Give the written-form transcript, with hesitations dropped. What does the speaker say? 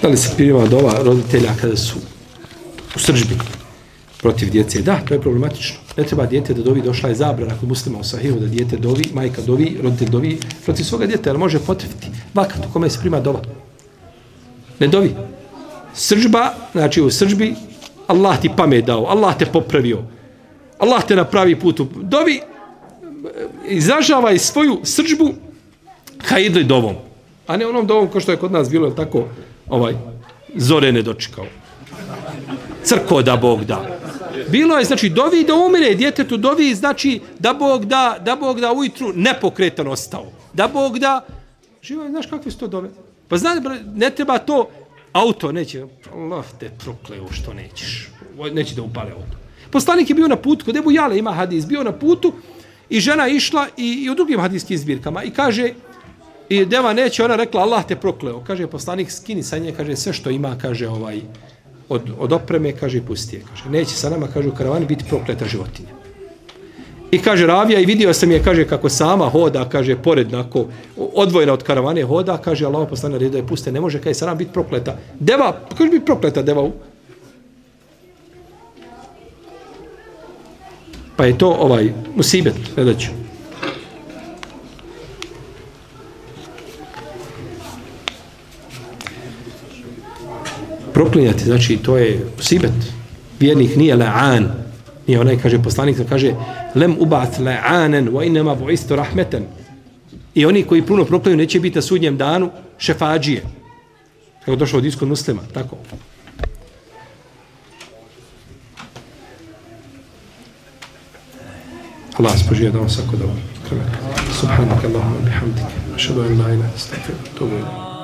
Da li se prima dova roditelja kada su u srdžbi protiv djece? Da, to je problematično. Ne treba dijete da dovi, došla je zabrana kod muslima u sahihu da dijete dovi, majka dovi, roditelj dovi protiv svoga djeteta, ali može potrefiti vakat u kome se prima dova. Ne dovi. Srdžba, znači u srdžbi, Allah ti pamet dao, Allah te popravio, Allah te na pravi put dovi, izražavaj svoju srdžbu haidli dovom, a ne onom dovom ko što je kod nas bilo, tako, zore ne dočekao. Crko da Bog da. Bilo je, znači, dovi da umire, djetetu dovi, znači, da Bog da ujutru nepokretan ostao. Da Bog da, živo, znaš kakve su to dove? Pa znaš, ne treba to, auto neće, Allah te prokleo što nećeš. Neće da upale auto. Poslanik je bio na putu, kod Ebu Jale ima hadis, bio na putu i žena išla i u drugim hadijskim zbirkama i kaže, i deva neće, ona rekla, Allah te prokleo. Kaže, poslanik skini sa nje, kaže, sve što ima, kaže, od opreme, kaže, pusti je. Kaže, neće sa nama, kaže, u karavani biti prokleta životinja. I kaže, ravija, i vidio sam je, kaže, kako sama hoda, kaže, porednako, odvojena od karavane hoda, kaže, Allah poslanik naredio da je puste, ne može, kaže, sa nama biti prokleta. Deva, kaže, biti prokleta, deva. Pa je to musibet, gledat ću. Proklinjati, znači, to je musibet. Vjernik nije la'an. Nije onaj, kaže, poslanik, kaže, lem ubat la'anen, wa inema bu'istu rahmeten. I oni koji puno proklinju neće biti na sudnjem danu šefađije. Kako došao od iskod muslima, tako. Allah spožije da vam svako dobro. Subhanak Allahumma bihamdike. Ašhadu an la ilaha illa anta, astaghfiruka wa atubu ilayk.